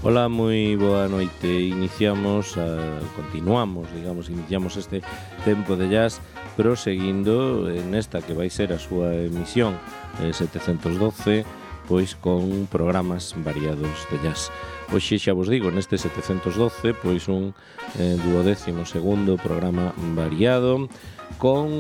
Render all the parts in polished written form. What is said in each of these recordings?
Ola, moi boa noite. Iniciamos este tempo de jazz, pero seguindo nesta que vai ser a súa emisión 712, pois con programas variados de jazz. Hoxe xa vos digo, neste 712, pois un 12º programa variado, con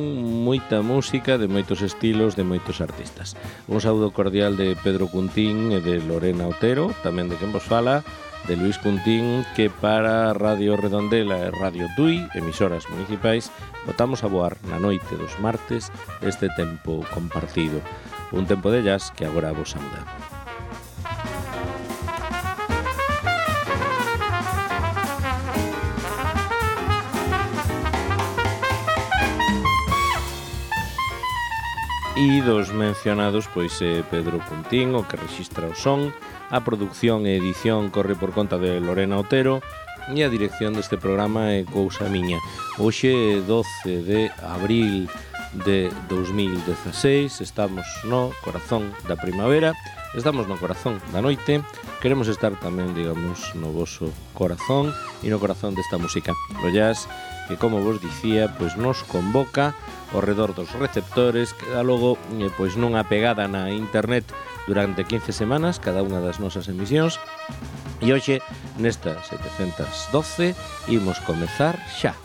moita música de moitos estilos, de moitos artistas. Un saúdo cordial de Pedro Cuntín e de Lorena Otero, tamén de quen vos fala, de Luis Cuntín, que para Radio Redondela e Radio Tui, emisoras municipais, botamos a voar na noite dos martes este tempo compartido. Un tempo de jazz que agora vos sauda. E dos mencionados, pois Pedro Cuntín, o que rexistra o son, a produción e edición corre por conta de Lorena Otero e a dirección deste programa é cousa miña. Hoxe, 12 de abril de 2016, estamos no corazón da primavera, estamos no corazón da noite, queremos estar tamén, digamos, no voso corazón e no corazón desta música. O jazz, que como vos dicía, pois nos convoca ao redor dos receptores, que dá logo pois nunha pegada na internet durante 15 semanas, cada unha das nosas emisións. E hoxe, nesta 712, imos comezar xa.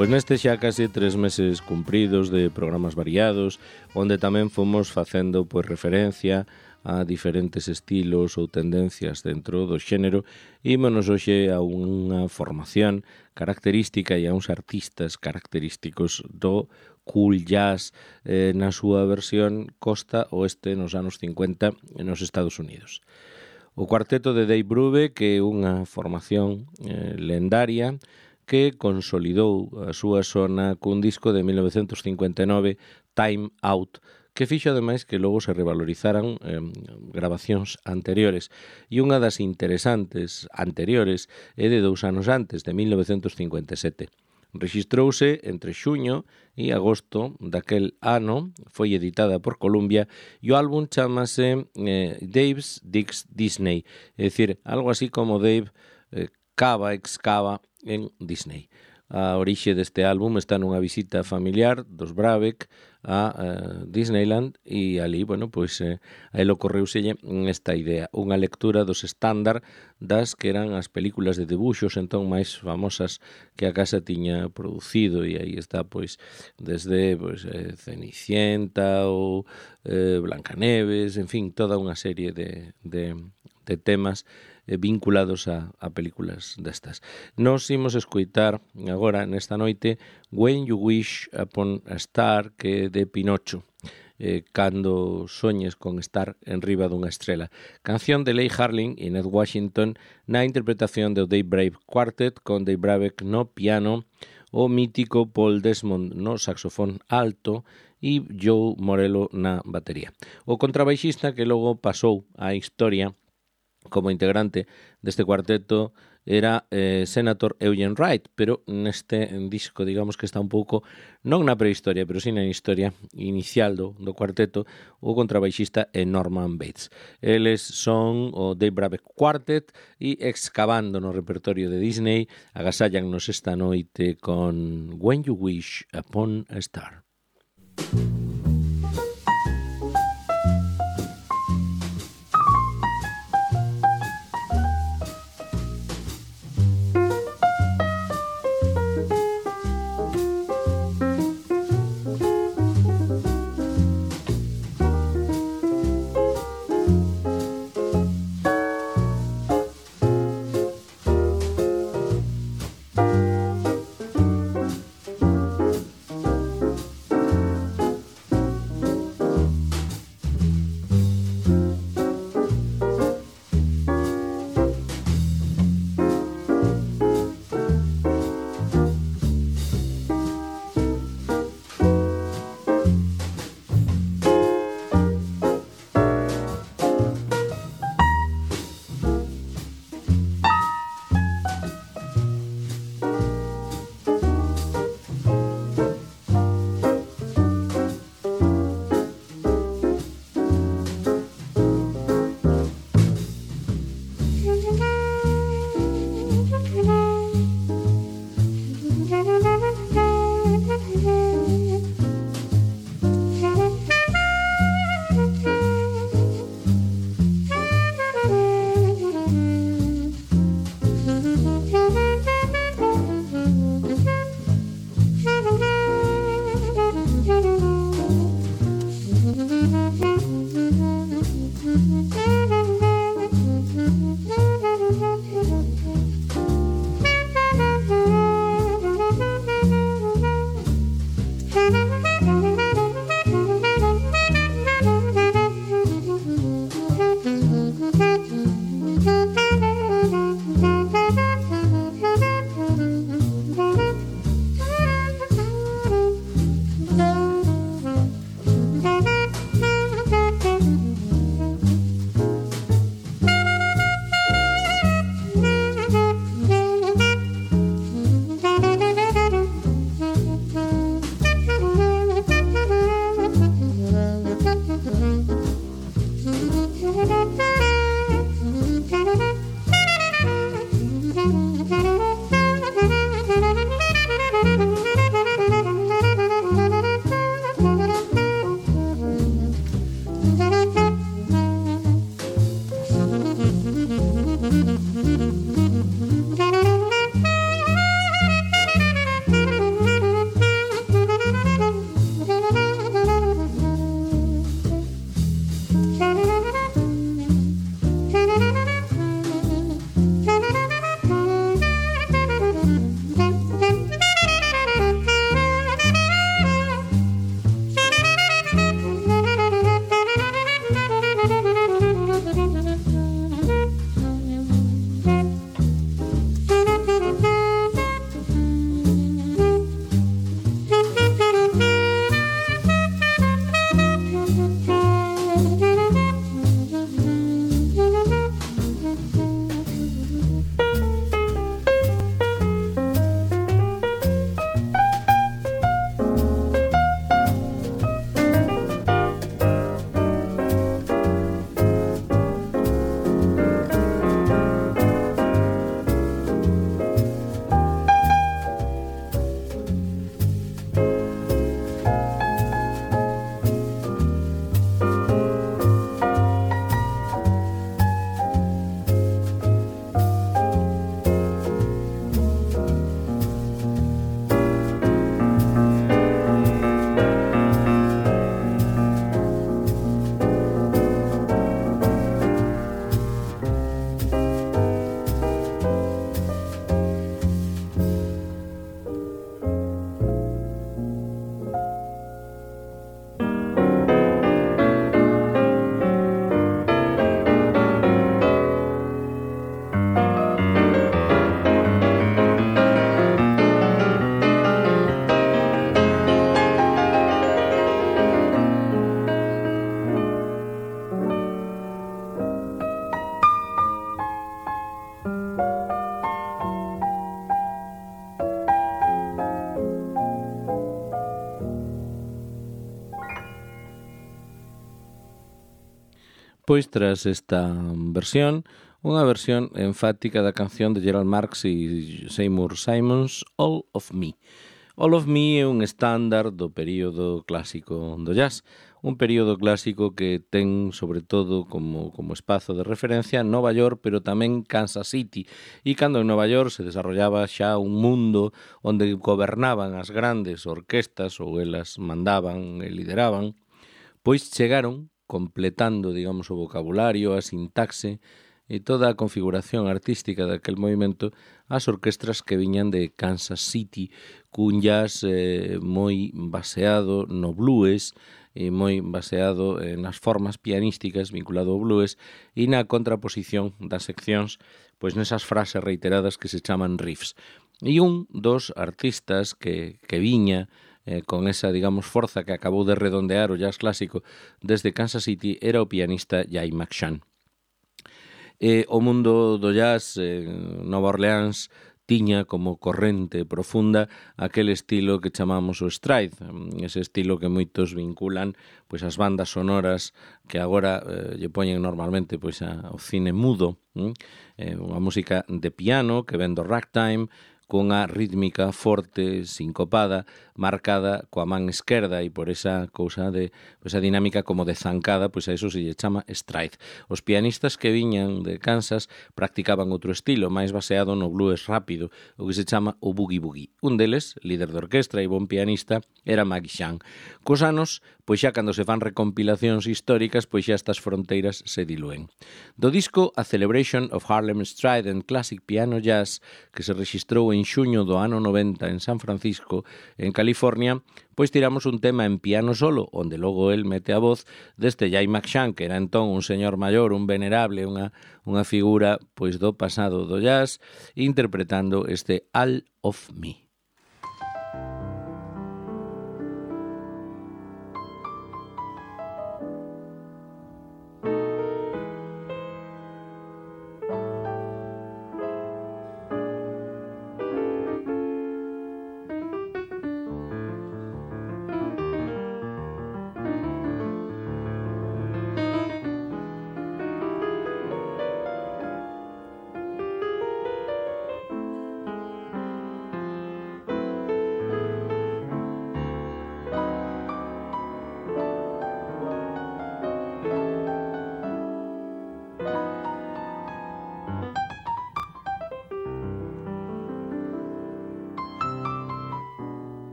Pois neste xa case 3 meses cumpridos de programas variados, onde tamén fomos facendo pois referencia a diferentes estilos ou tendencias dentro do xénero, ímonos hoxe a unha formación característica e a uns artistas característicos do cool jazz na súa versión costa oeste nos anos 50 nos Estados Unidos. O cuarteto de Dave Brubeck, que é unha formación lendaria, que consolidou a súa sona cun disco de 1959, Time Out, que fixo ademais que logo se revalorizaran grabacións anteriores. E unha das interesantes anteriores é de 2 anos antes, de 1957. Rexistrouse entre xuño e agosto daquel ano, foi editada por Columbia e o álbum chamase Dave's Digs Disney, é dicir, algo así como Dave excava en Disney. A orixe deste álbum está nunha visita familiar dos Brubeck a Disneyland e ali, bueno, pois a él ocorreuselle esta idea, unha lectura dos estándar das que eran as películas de debuxos entón máis famosas que a casa tiña producido, e aí está pois desde pois Cenicienta ou Blancaneves, en fin, toda unha serie de temas vinculados a películas destas. Nos imos escoitar agora nesta noite When You Wish Upon a Star, que é de Pinocho, cando soñes con estar en riba dunha estrela. Canción de Leigh Harling e Ned Washington na interpretación do Dave Brubeck Quartet, con Dave Brubeck no piano, o mítico Paul Desmond no saxofón alto e Joe Morello na batería. O contrabaixista que logo pasou á historia como integrante deste cuarteto era Senator Eugene Wright, pero neste disco, digamos que está un pouco, non na prehistoria, pero sí na historia inicial do cuarteto, o contrabaixista é Norman Bates. Eles son o Dave Brubeck Quartet e excavando no repertorio de Disney, agasallannos esta noite con When You Wish Upon a Star. Pois tras esta versión, unha versión enfática da canción de Gerald Marx e Seymour Simons, All of Me. All of Me é un estándar do período clásico do jazz, un período clásico que ten, sobre todo, como espazo de referencia Nova York, pero tamén Kansas City. E cando en Nova York se desarrollaba xa un mundo onde gobernaban as grandes orquestas ou elas mandaban e lideraban, pois chegaron completando, digamos, o vocabulario, a sintaxe e toda a configuración artística daquel movimento as orquestras que viñan de Kansas City, cun jazz moi baseado no blues e moi baseado nas formas pianísticas vinculado ao blues e na contraposición das seccións, pois nesas frases reiteradas que se chaman riffs. E un dos artistas que viña con esa, digamos, forza que acabou de redondear o jazz clásico desde Kansas City era o pianista Jay McShann. O mundo do jazz en Nova Orleans tiña como corrente profunda aquel estilo que chamamos o stride, ese estilo que moitos vinculan pois as bandas sonoras que agora lle poñen normalmente pois ao cine mudo, unha música de piano que ven do ragtime, cunha rítmica forte, sincopada, marcada coa man esquerda e por esa cousa de esa dinámica como de zancada, pois a eso se lle chama stride. Os pianistas que viñan de Kansas practicaban outro estilo, máis baseado no blues rápido, o que se chama o boogie-boogie. Un deles, líder de orquestra e bon pianista, era Maggie Shang. Cos anos, pois xa cando se fan recompilacións históricas, pois xa estas fronteiras se dilúen. Do disco A Celebration of Harlem Stride and Classic Piano Jazz, que se rexistrou en xuño do ano 90 en San Francisco, en California, pois tiramos un tema en piano solo, onde logo el mete a voz deste Jay McShann, que era entón un señor maior, un venerable, unha figura pois do pasado do jazz, interpretando este All of Me.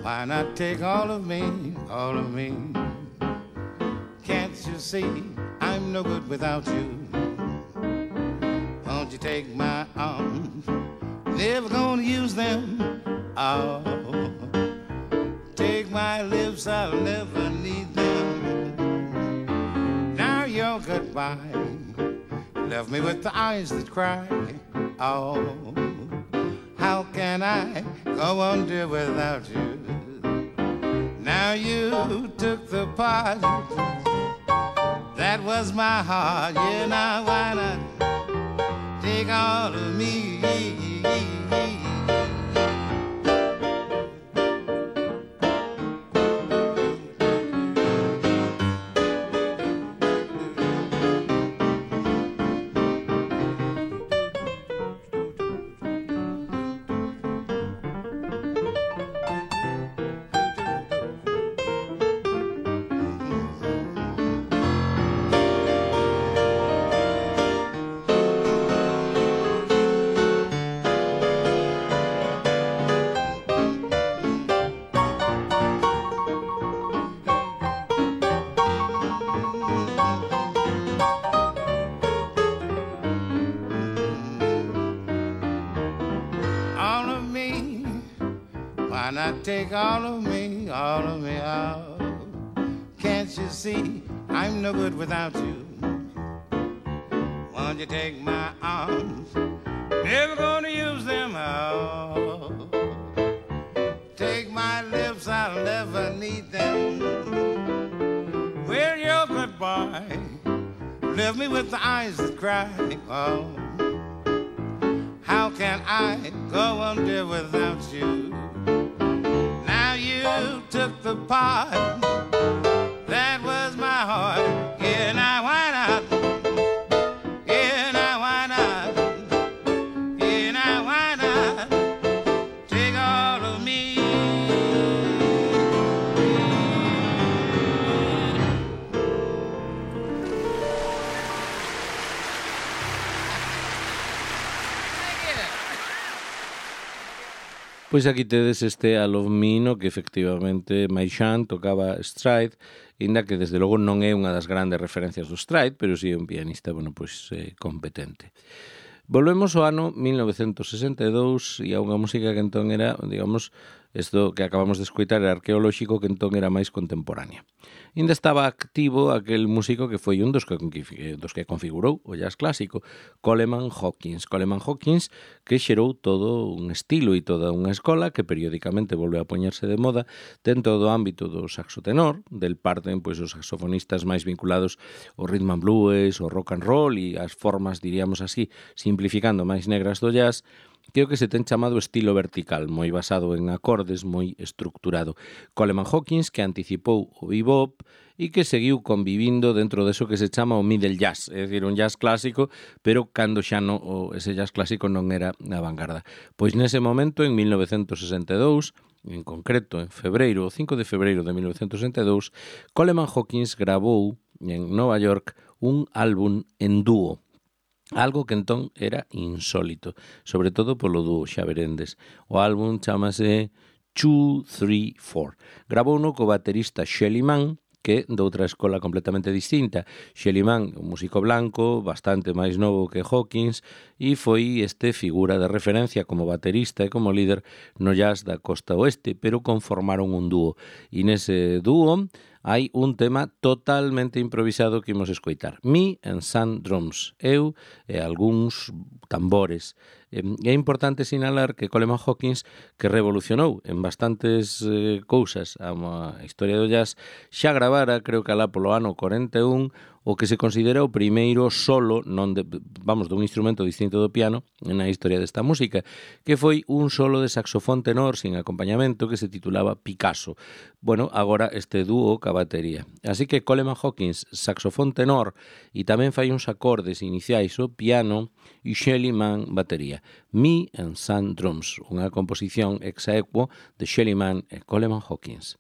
Why not take all of me, all of me? Can't you see I'm no good without you? Won't you take my arms? Never gonna use them. Oh, take my lips, I'll never need them. Now your goodbye left me with the eyes that cry. Oh, How can I go on, dear, without you? Now you took the part that was my heart. Yeah, now why not take all of me? Why not take all of me, out? Can't you see I'm no good without you? Won't you take my arms? Never gonna use them out. Take my lips, I'll never need them. Well, you're good boy. Leave me with the eyes that cry. Oh, how can I go on, dear, without you? You took the part that was my heart. Yeah, now why not? Yeah, now why not? Yeah, now why not take all of me? Pois aquí tedes este I Love Me, no que efectivamente Maishan tocaba Stride, inda que desde logo non é unha das grandes referencias do Stride, pero si é un pianista, bueno, pois competente. Volvemos ao ano 1962 e a unha música que entón era, digamos, isto que acabamos de escoitar era arqueolóxico, que entón era máis contemporánea. Ainda estaba activo aquel músico que foi un dos que configurou o jazz clásico, Coleman Hawkins. Coleman Hawkins que xerou todo un estilo e toda unha escola que periódicamente volve a poñerse de moda dentro do ámbito do saxo tenor, del parten pois os saxofonistas máis vinculados ao rhythm and blues, ao rock and roll e as formas, diríamos así, simplificando máis negras do jazz, que é o que se ten chamado estilo vertical, moi basado en acordes, moi estructurado. Coleman Hawkins, que anticipou o bebop e que seguiu convivindo dentro deso que se chama o middle jazz, é dicir, un jazz clásico, pero cando xa ese jazz clásico non era a vanguarda. Pois nese momento, en 1962, en concreto en febreiro, o 5 de febreiro de 1962, Coleman Hawkins gravou en Nova York un álbum en dúo, algo que entón era insólito, sobre todo polo dúo, xa verendes. O álbum chamase 2, 3, 4. Gravouno co baterista Shelly Manne, que doutra escola completamente distinta. Shelly Manne, un músico blanco, bastante máis novo que Hawkins, e foi figura de referencia como baterista e como líder no jazz da costa oeste, pero conformaron un dúo. E nese dúo hai un tema totalmente improvisado que imos escoitar. Me and some drums, eu e algúns tambores. É importante sinalar que Coleman Hawkins, que revolucionou en bastantes cousas a historia do jazz, xa gravara, creo que alá polo ano 41, o que se considera o primeiro solo dun instrumento distinto do piano na historia desta música, que foi un solo de saxofón tenor sin acompañamento que se titulaba Picasso. Bueno, agora este dúo ca batería. Así que Coleman Hawkins, saxofón tenor, e tamén fai uns acordes iniciais o piano, e Shelly Manne, batería. Me and some drums, unha composición ex aequo de Shelly Manne e Coleman Hawkins.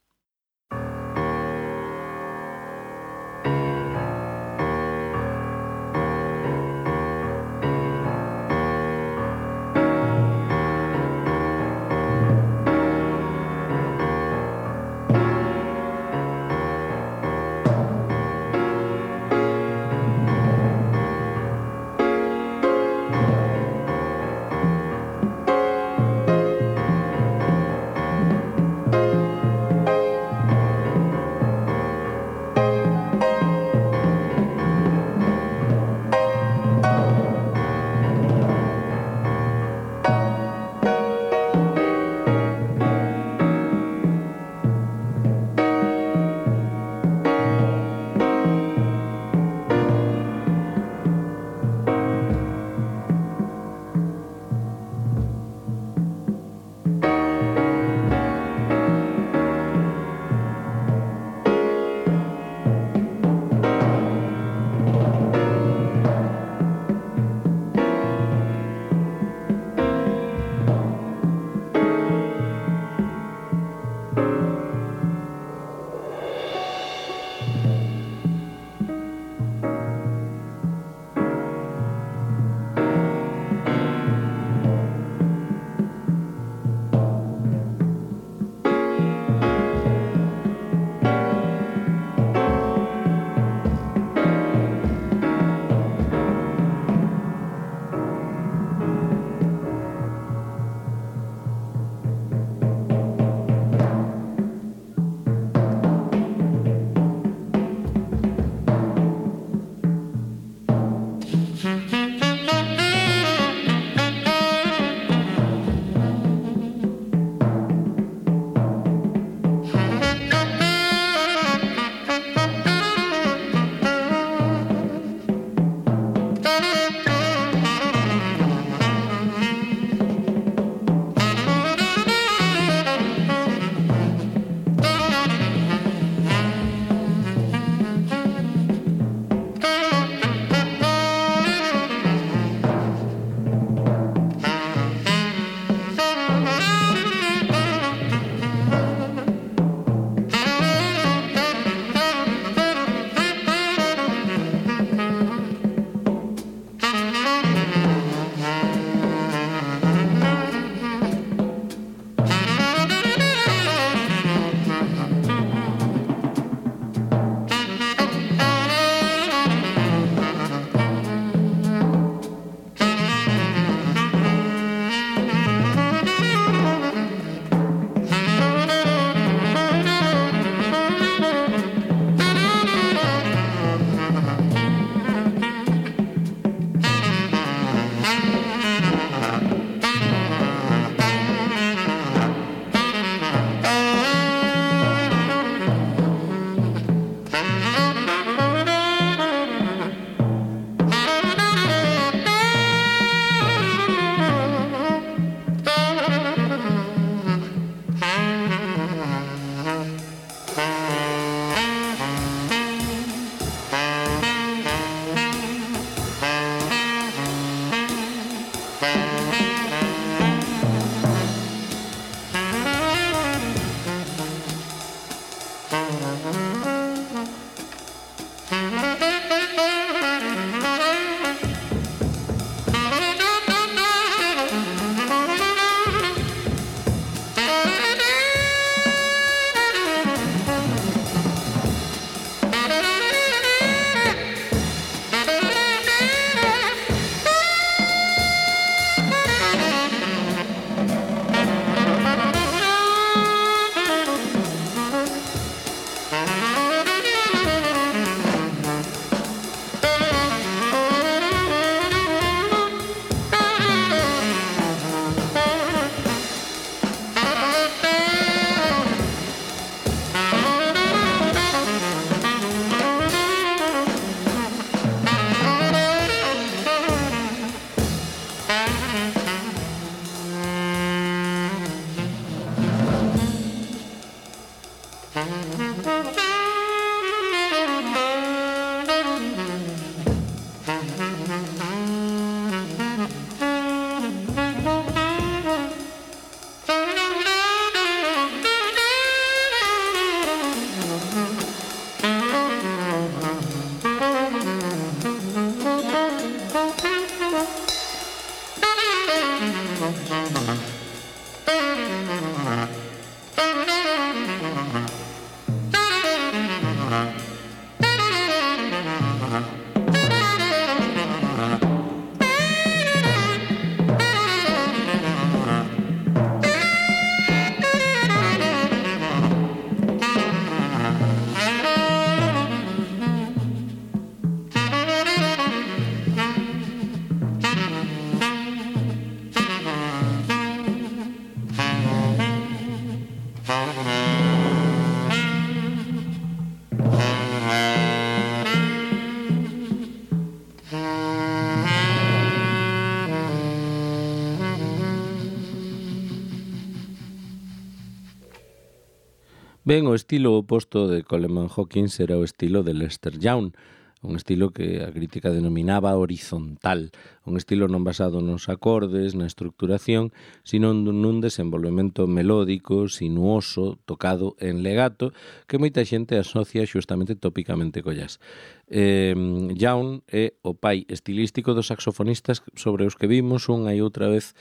Ben, o estilo oposto de Coleman Hawkins era o estilo de Lester Young, un estilo que a crítica denominaba horizontal, un estilo non basado nos acordes, na estructuración, sino nun desenvolvemento melódico, sinuoso, tocado en legato, que moita xente asocia xustamente tópicamente co jazz. Young é o pai estilístico dos saxofonistas sobre os que vimos unha e outra vez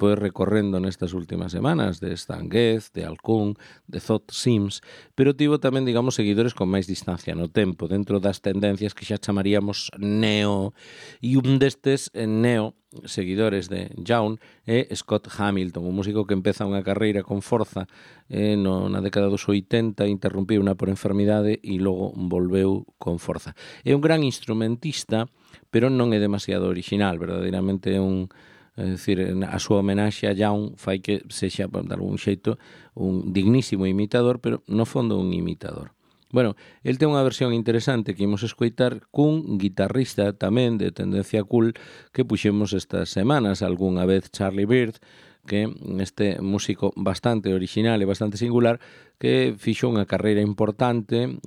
pois recorrendo nestas últimas semanas, de Stan Getz, de Al Coon, de Thot Sims, pero tivo tamén, digamos, seguidores con máis distancia no tempo, dentro das tendencias que xa chamaríamos neo, e un destes neo seguidores de Young é Scott Hamilton, un músico que empeza unha carreira con forza na década dos 80, interrumpiu unha por enfermidade e logo volveu con forza. É un gran instrumentista, pero non é demasiado original, verdadeiramente é un... É dicir, a súa homenaxe a Young fai que sexa, de algún xeito, un dignísimo imitador, pero no fondo un imitador. Bueno, el ten unha versión interesante que imos escoitar cun guitarrista tamén de tendencia cool que puxemos estas semanas, algunha vez Charlie Byrd, que este músico bastante original e bastante singular que fixo unha carreira importante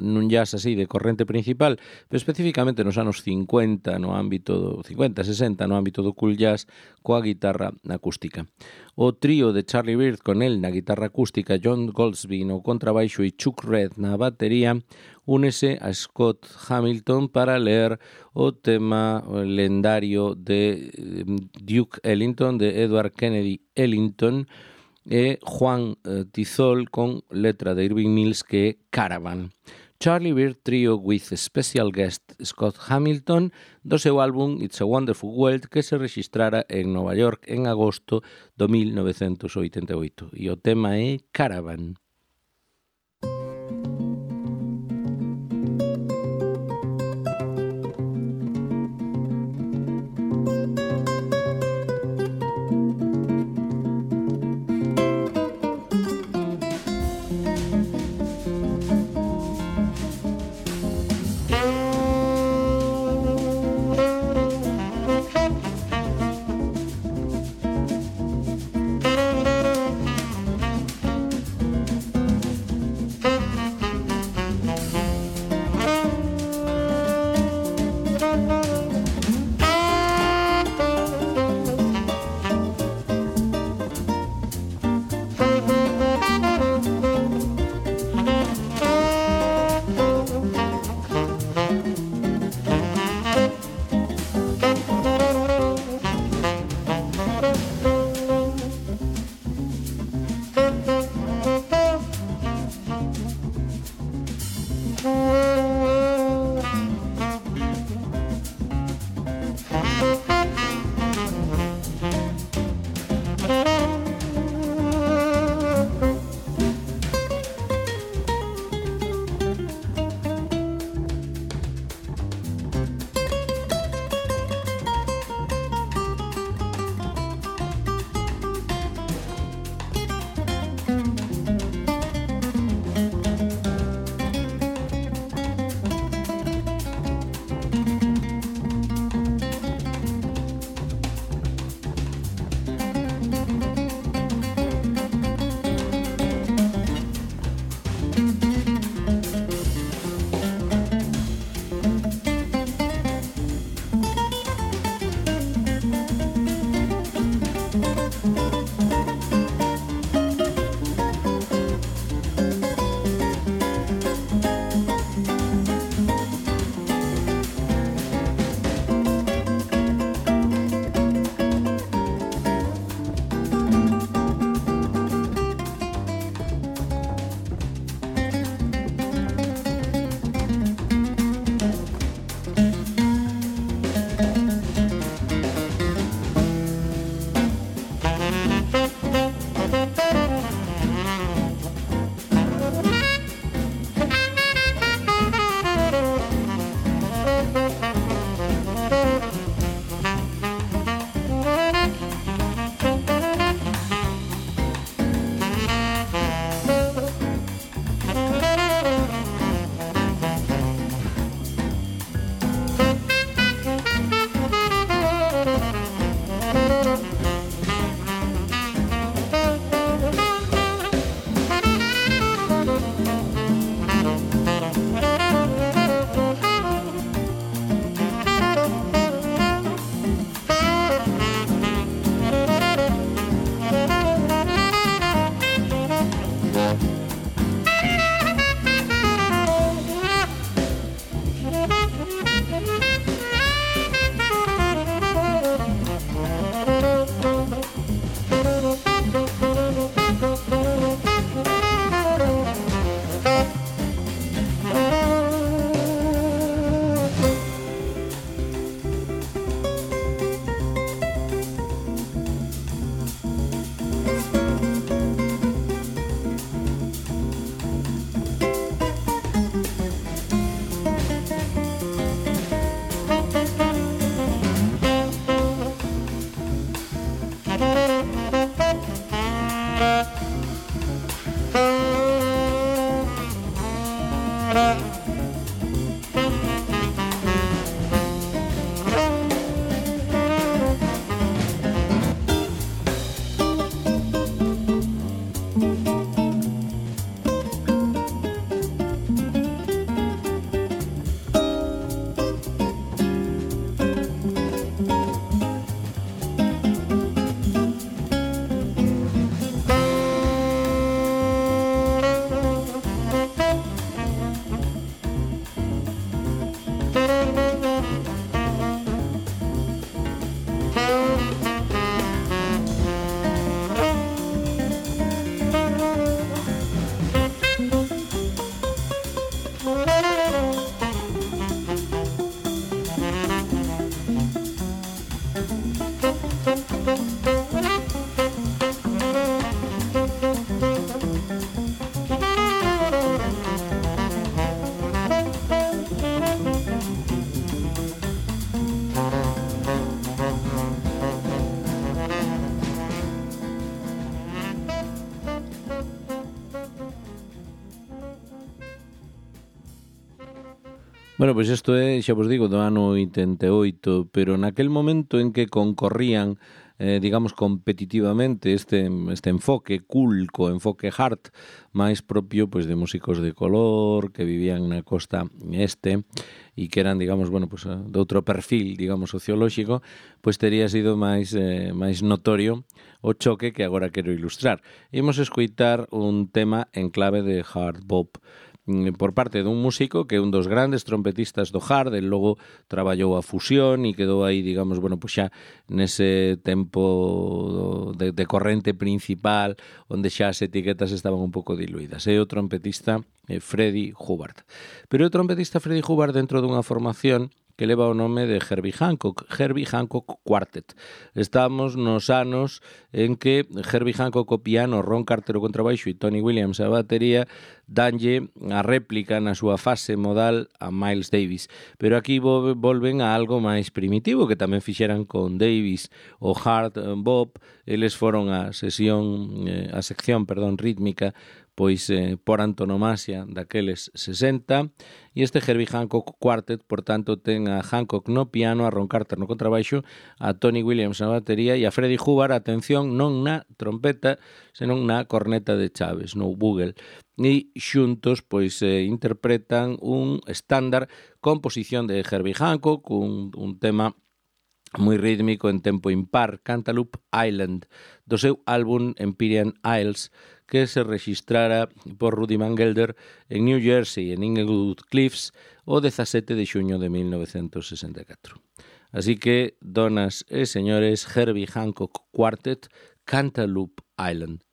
nun jazz así de corrente principal, pero especificamente nos anos 50, no ámbito do 50, 60, no ámbito do cool jazz coa guitarra acústica. O trío de Charlie Byrd con el na guitarra acústica, John Goldsby no contrabaixo e Chuck Reed na batería, únese a Scott Hamilton para ler o tema lendario de Duke Ellington, de Edward Kennedy Ellington, e Juan Tizol con letra de Irving Mills que é Caravan. Charlie Byrd Trio with special guest Scott Hamilton do seu álbum It's a Wonderful World que se registrara en Nova York en agosto do 1988 e o tema é Caravan. Bueno, pois isto é, xa vos digo, do ano 88, pero naquel momento en que concorrían digamos, competitivamente este enfoque cool co enfoque hard máis propio pois de músicos de color que vivían na costa este e que eran, digamos, bueno, pues, de outro perfil, digamos, sociolóxico, pois tería sido máis notorio o choque que agora quero ilustrar. Imos escoitar un tema en clave de hard bop por parte dun músico que é un dos grandes trompetistas do hard, el logo traballou a fusión e quedou aí, digamos, bueno, pois xa nese tempo de corrente principal onde xa as etiquetas estaban un pouco diluídas. É o trompetista Freddie Hubbard. Pero o trompetista Freddie Hubbard dentro dunha formación que leva o nome de Herbie Hancock Quartet. Estamos nos anos en que Herbie Hancock o piano, Ron Carter o contrabaixo e Tony Williams a batería danlle a réplica na súa fase modal a Miles Davis. Pero aquí volven a algo máis primitivo que tamén fixeran con Davis o hard bop. Eles foron a sección rítmica pois por antonomasia daqueles 60, e este Herbie Hancock Quartet, por tanto, ten a Hancock no piano, a Ron Carter no contrabaixo, a Tony Williams na batería e a Freddie Hubbard, atención, non na trompeta, senón na corneta de chaves, no bugle. E xuntos, pois, interpretan un estándar composición de Herbie Hancock, un tema moi rítmico en tempo impar, Cantaloupe Island, do seu álbum Empyrean Isles, que se registrara por Rudy Van Gelder en New Jersey, en Inglewood Cliffs, o 17 de xuño de 1964. Así que, donas e señores, Herbie Hancock Quartet, Cantaloupe Island.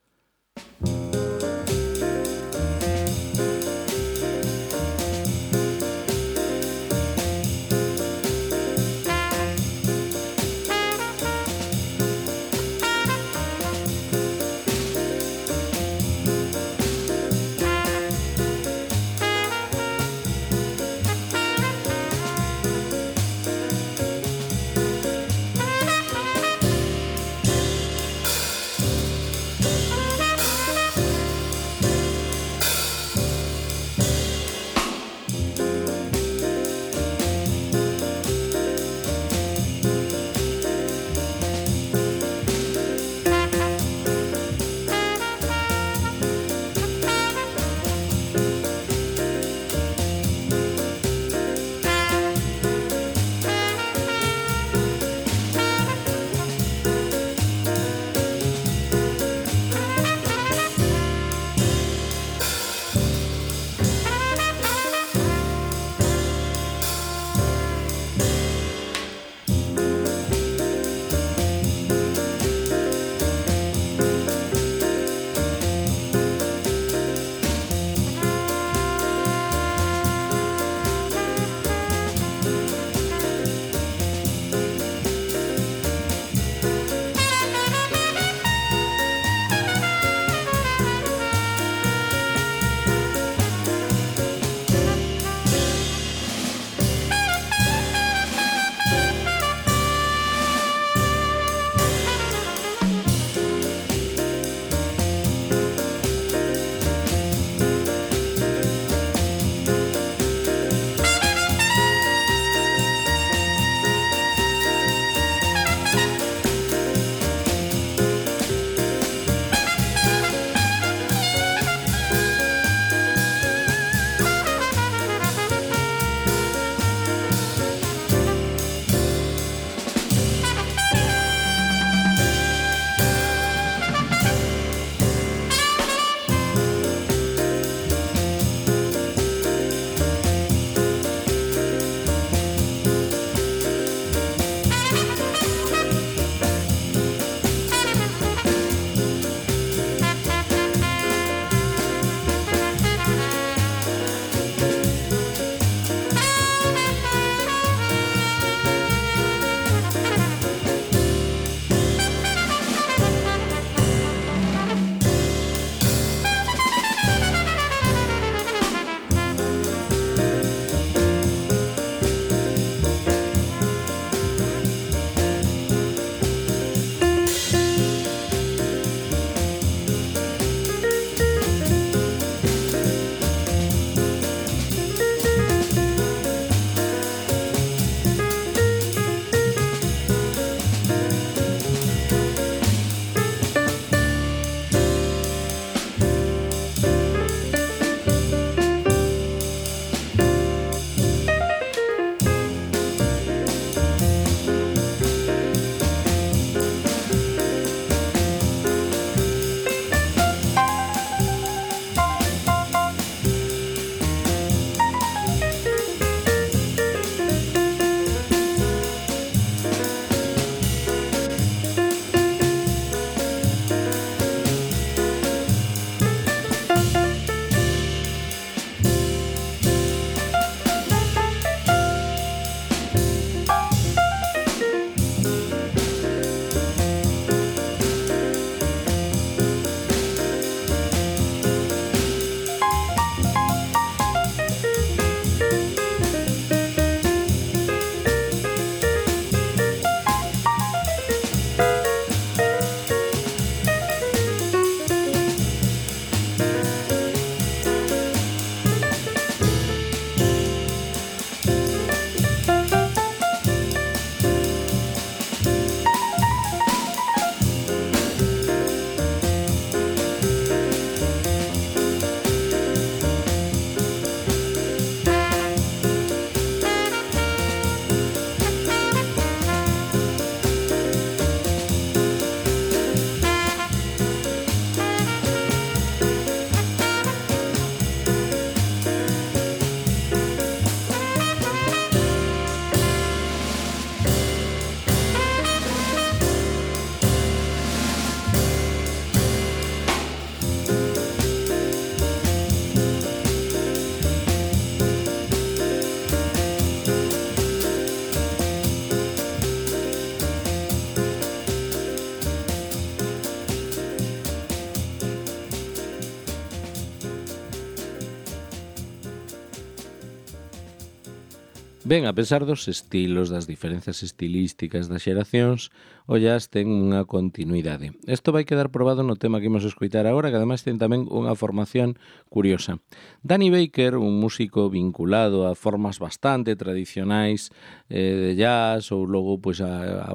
Ben, a pesar dos estilos, das diferenzas estilísticas das xeracións, o jazz ten unha continuidade. Isto vai quedar probado no tema que imos escoitar agora, que ademais ten tamén unha formación curiosa. Danny Baker, un músico vinculado a formas bastante tradicionais de jazz, ou logo pois, a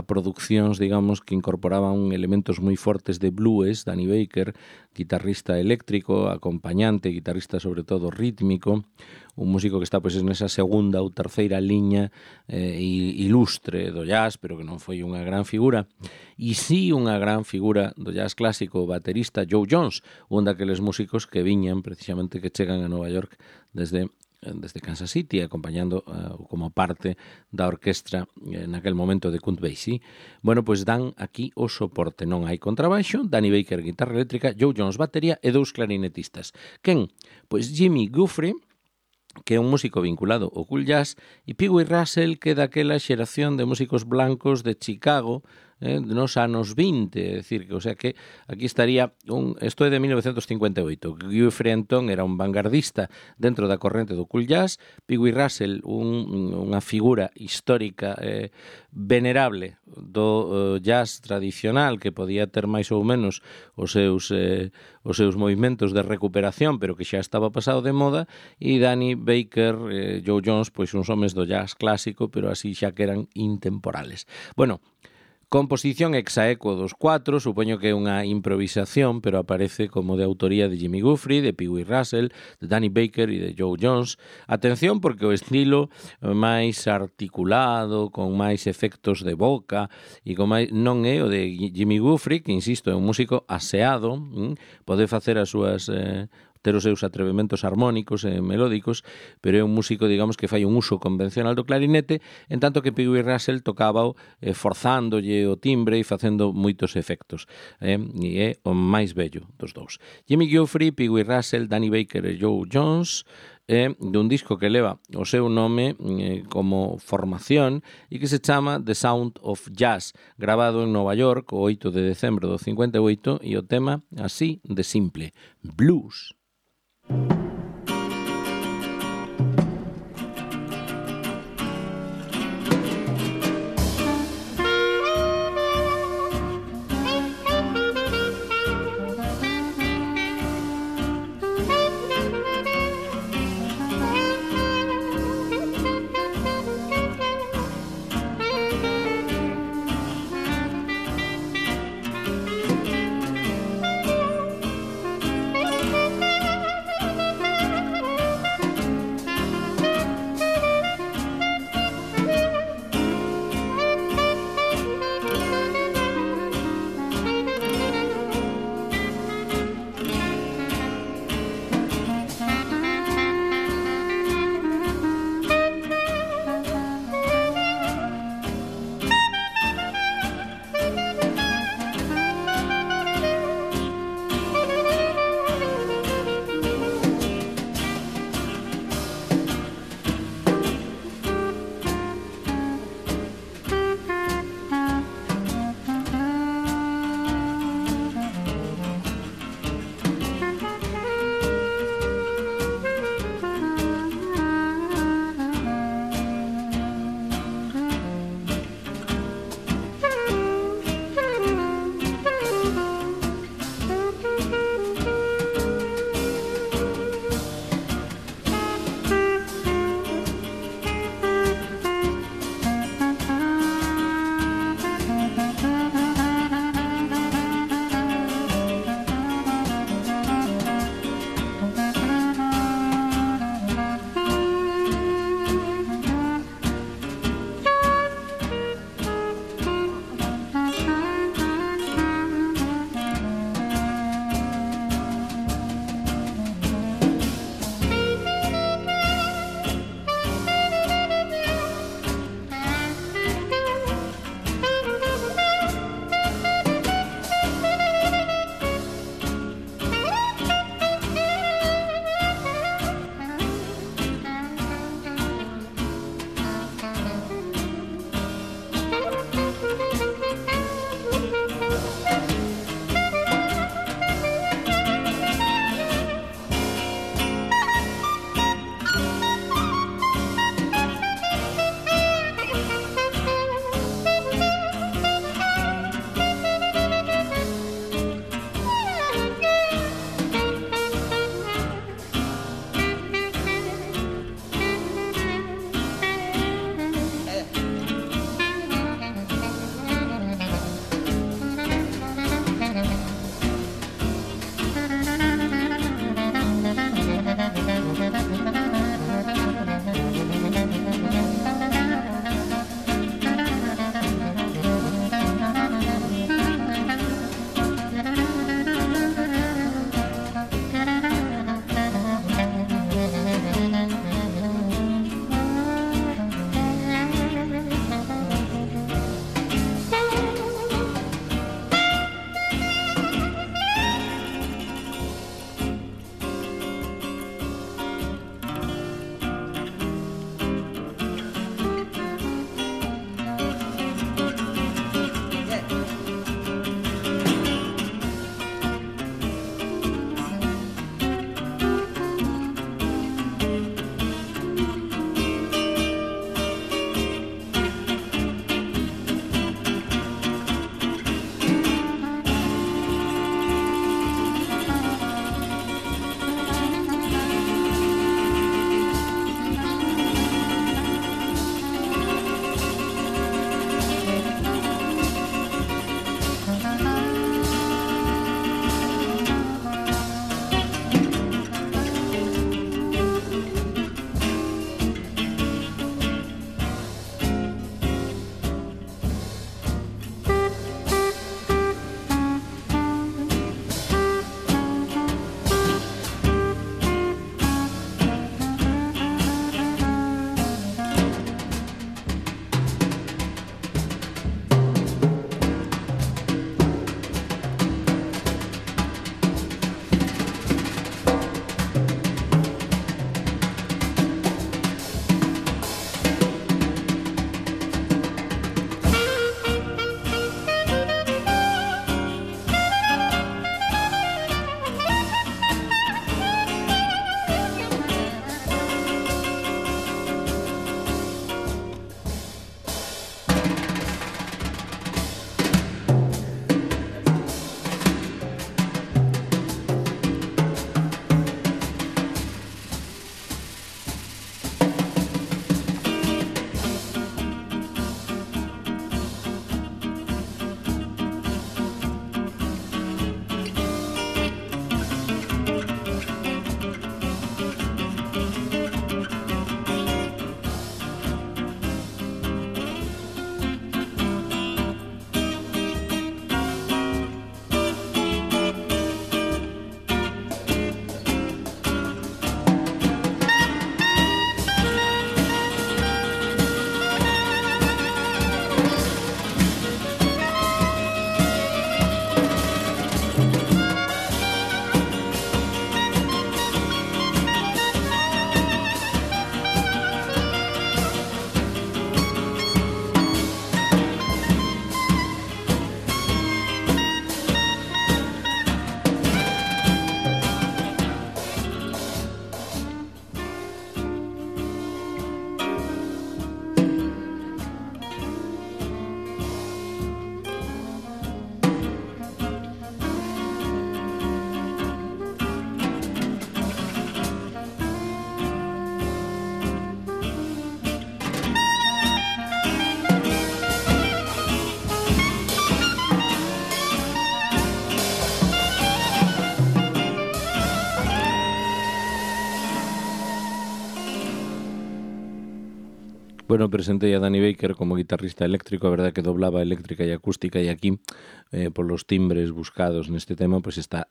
produccións, digamos, que incorporaban elementos moi fortes de blues. Danny Baker, guitarrista eléctrico, acompañante, guitarrista sobre todo rítmico, un músico que está pois nesa segunda ou terceira liña ilustre do jazz, pero que non foi unha gran figura. E sí unha gran figura do jazz clásico, o baterista Joe Jones, un daqueles músicos que viñan precisamente, que chegan a Nova York desde Kansas City, acompañando como parte da orquestra naquel momento de Count Basie. Bueno, pois dan aquí o soporte. Non hai contrabaixo, Danny Baker guitarra eléctrica, Joe Jones batería e 2 clarinetistas. Quen? Pois Jimmy Guthrie, que é un músico vinculado ao cool jazz, e Pee Wee Russell, que é daquela xeración de músicos blancos de Chicago nos anos 20, é dicir, o sea que aquí estaría isto é de 1958. Guthrie Anton era un vanguardista dentro da corrente do cool jazz, Pee Wee Russell unha figura histórica venerable do jazz tradicional, que podía ter máis ou menos os seus movimentos de recuperación, pero que xa estaba pasado de moda, e Danny Baker, Joe Jones, pois uns homes do jazz clásico, pero así xa que eran intemporales. Bueno, composición exaequo dos 4, supoño que é unha improvisación, pero aparece como de autoría de Jimmy Guthrie, de Pee Wee Russell, de Danny Baker e de Joe Jones. Atención, porque o estilo máis articulado, con máis efectos de boca, e con máis, non é o de Jimmy Guthrie, que, insisto, é un músico aseado, pode facer as súas ter os seus atrevementos armónicos e melódicos, pero é un músico, digamos, que fai un uso convencional do clarinete, en tanto que Pee Wee Russell tocábao forzándolle o timbre e facendo moitos efectos. E é o máis bello dos dous. Jimmy Guthrie, Pee Wee Russell, Danny Baker e Joe Jones, dun disco que leva o seu nome como formación e que se chama The Sound of Jazz, grabado en Nova York o 8 de decembro do 58, e o tema así de simple, blues. Bueno, presentei a Danny Baker como guitarrista eléctrico, a verdade que doblaba eléctrica e acústica, e aquí, polos timbres buscados neste tema, pois estaba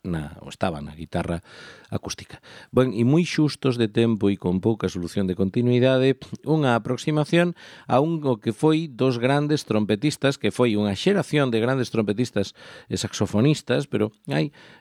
na guitarra acústica. Ben, e moi xustos de tempo e con pouca solución de continuidade, unha aproximación a un o que foi dos grandes trompetistas, que foi unha xeración de grandes trompetistas e saxofonistas, pero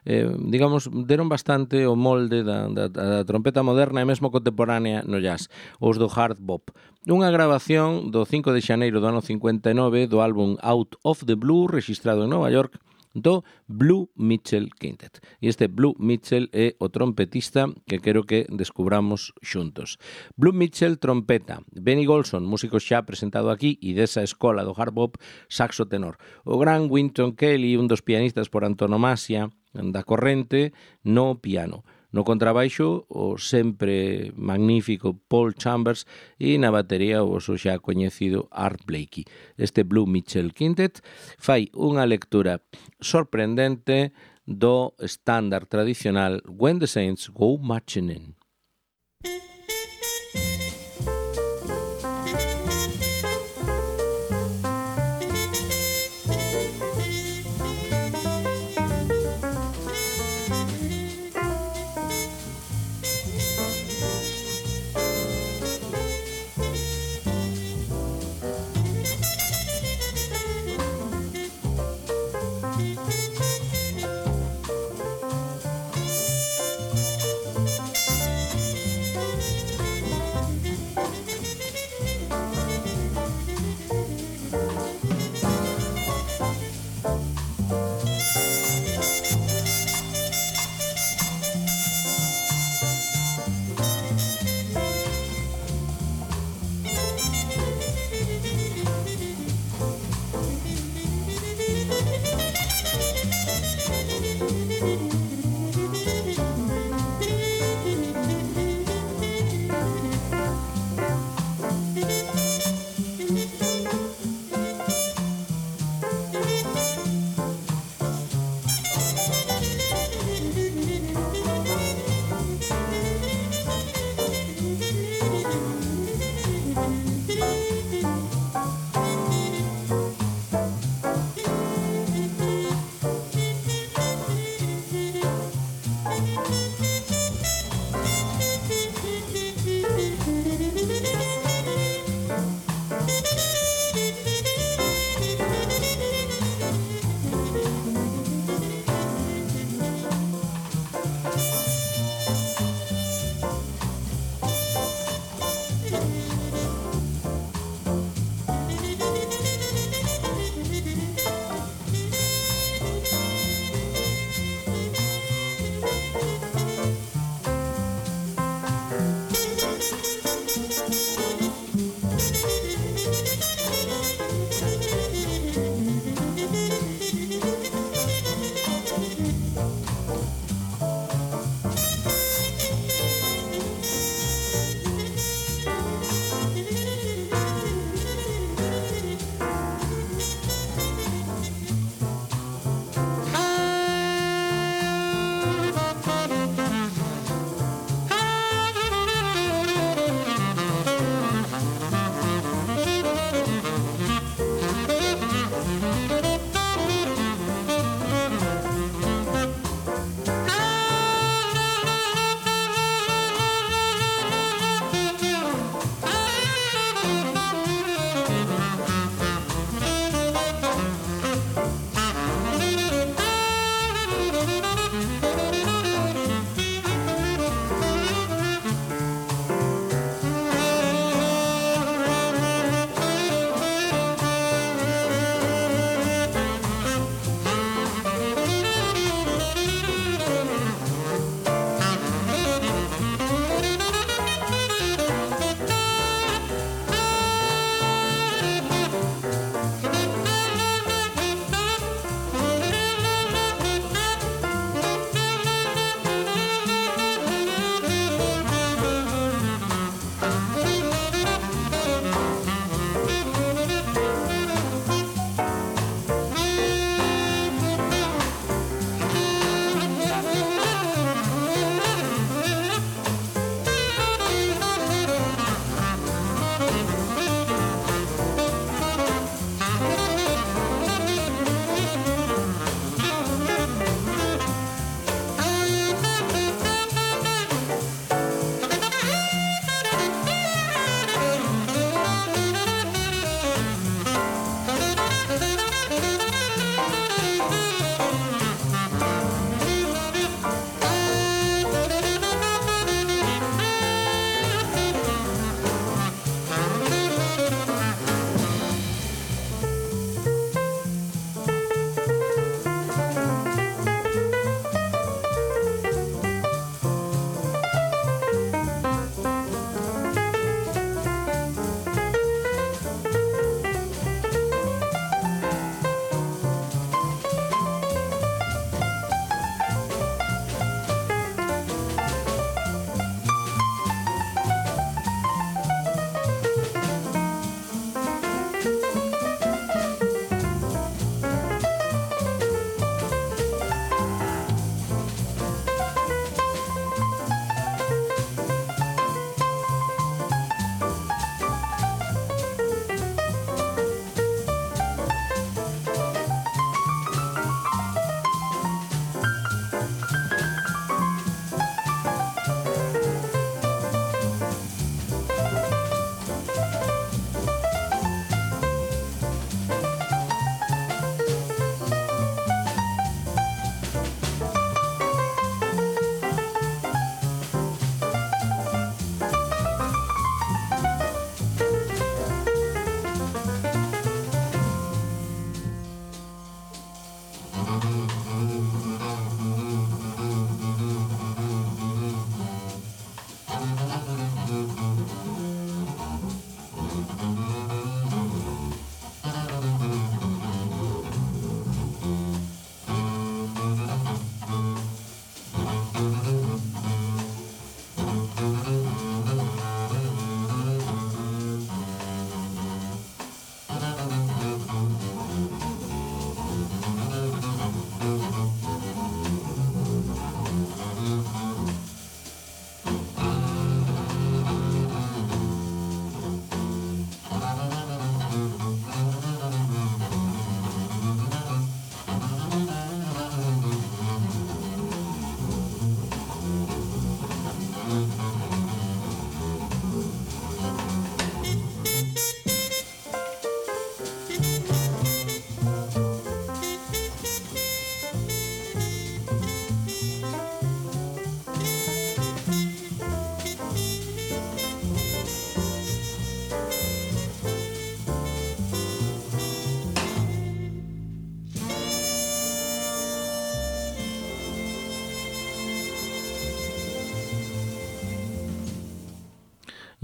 digamos, deron bastante o molde da trompeta moderna e mesmo contemporánea no jazz, os do hard bop. Unha grabación do 5 de xaneiro do ano 59 do álbum Out of the Blue, registrado en Nova York, do Blue Mitchell Quintet. E este Blue Mitchell é o trompetista que quero que descubramos xuntos. Blue Mitchell, trompeta. Benny Golson, músico xa presentado aquí e desa escola do hard bop, saxo tenor. O gran Wynton Kelly, un dos pianistas por antonomasia da corrente, no piano. No contrabaixo, o sempre magnífico Paul Chambers, e na batería o xa coñecido Art Blakey. Este Blue Mitchell Quintet fai unha lectura sorprendente do estándar tradicional When the Saints Go Marching In.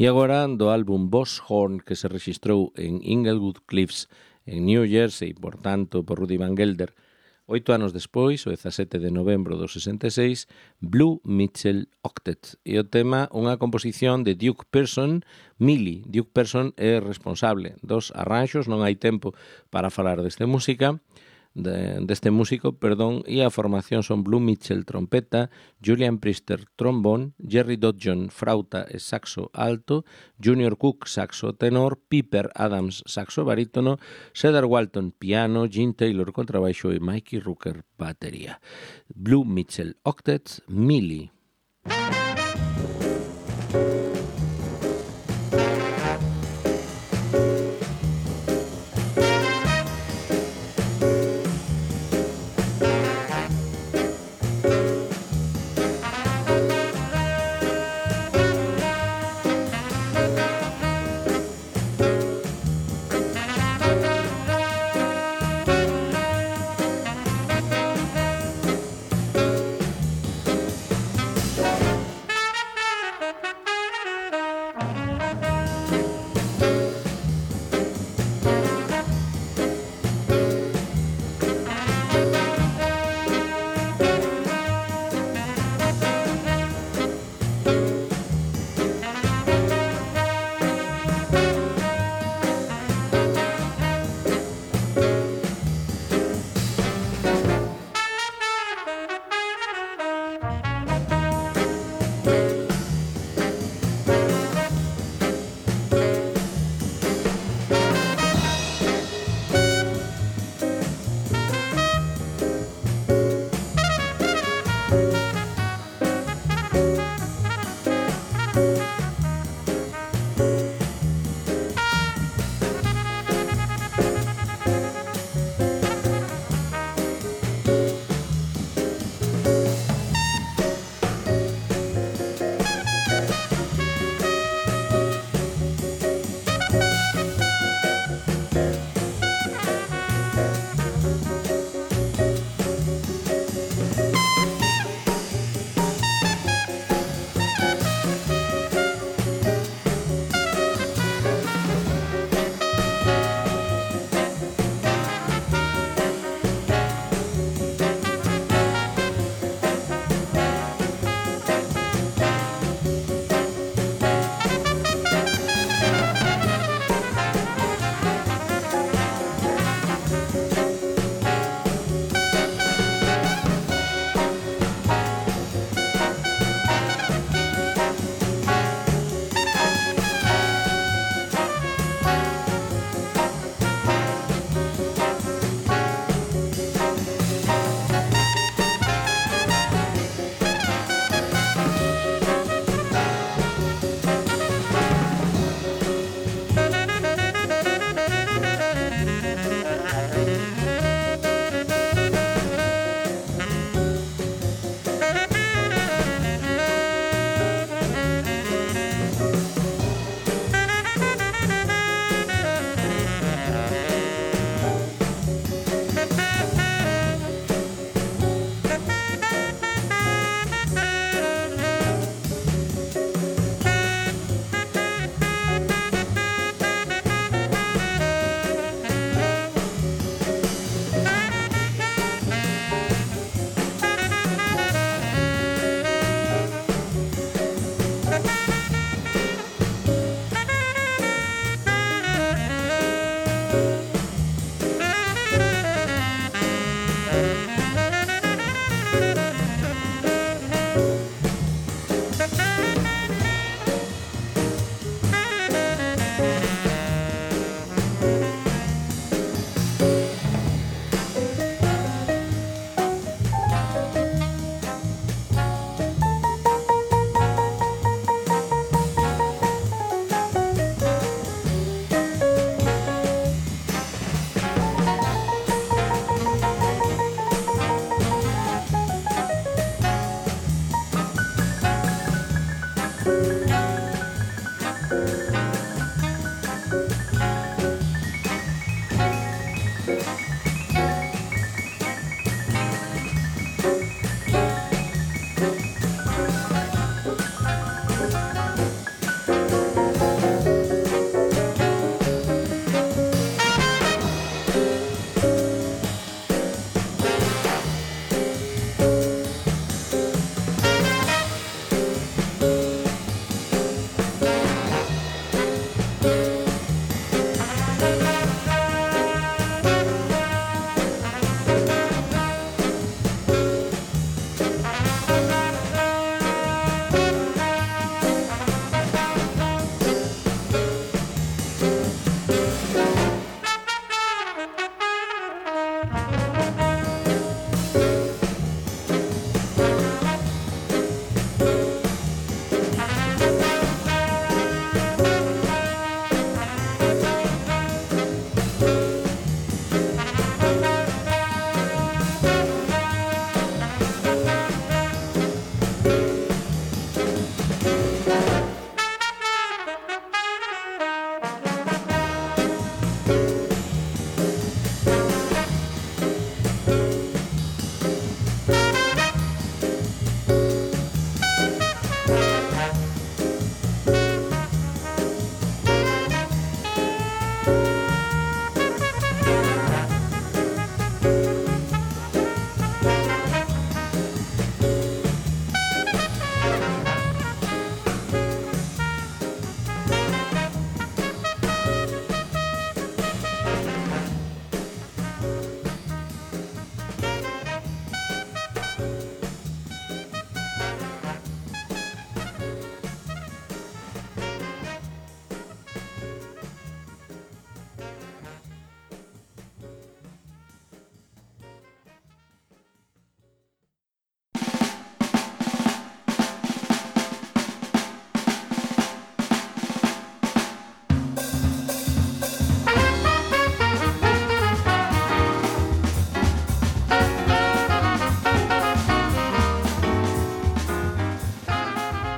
E agora do álbum Boss Horn, que se registrou en Inglewood Cliffs, en New Jersey, por tanto, por Rudy Van Gelder, 8 anos despois, o 17 de novembro do 66, Blue Mitchell Octet. E o tema, unha composición de Duke Pearson, Millie. Duke Pearson é responsable dos arranxos, non hai tempo para falar deste músico, e a formación son Blue Mitchell trompeta, Julian Priester trombón, Jerry Dodjon frauta e saxo alto, Junior Cook saxo tenor, Piper Adams saxo barítono, Cedar Walton piano, Gene Taylor contrabaixo e Mikey Rooker batería. Blue Mitchell Octet, Millie.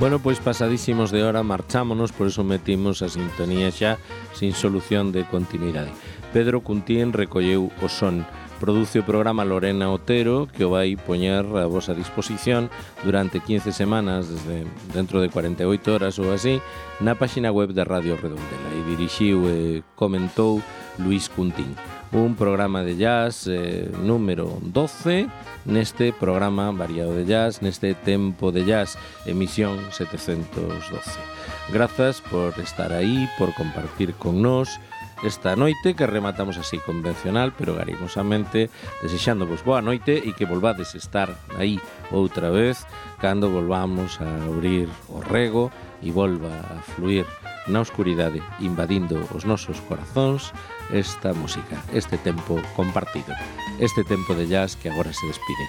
Bueno, pois pasadísimos de hora marchámonos, por eso metimos a sintonía xa sin solución de continuidade. Pedro Cuntín recolleu o son. Produce o programa Lorena Otero, que o vai poñer a vosa disposición durante 15 semanas, desde dentro de 48 horas ou así, na páxina web de Radio Redondela. E dirixiu e comentou Luis Cuntín. Un programa de jazz número 12 neste programa variado de jazz, neste tempo de jazz, emisión 712. Grazas por estar aí, por compartir con nós esta noite, que rematamos así convencional, pero garimosamente, desexándovos boa noite e que volvades estar aí outra vez cando volvamos a abrir o rego e volva a fluir na oscuridade, invadindo os nosos corazóns esta música, este tempo compartido, este tempo de jazz que agora se despide.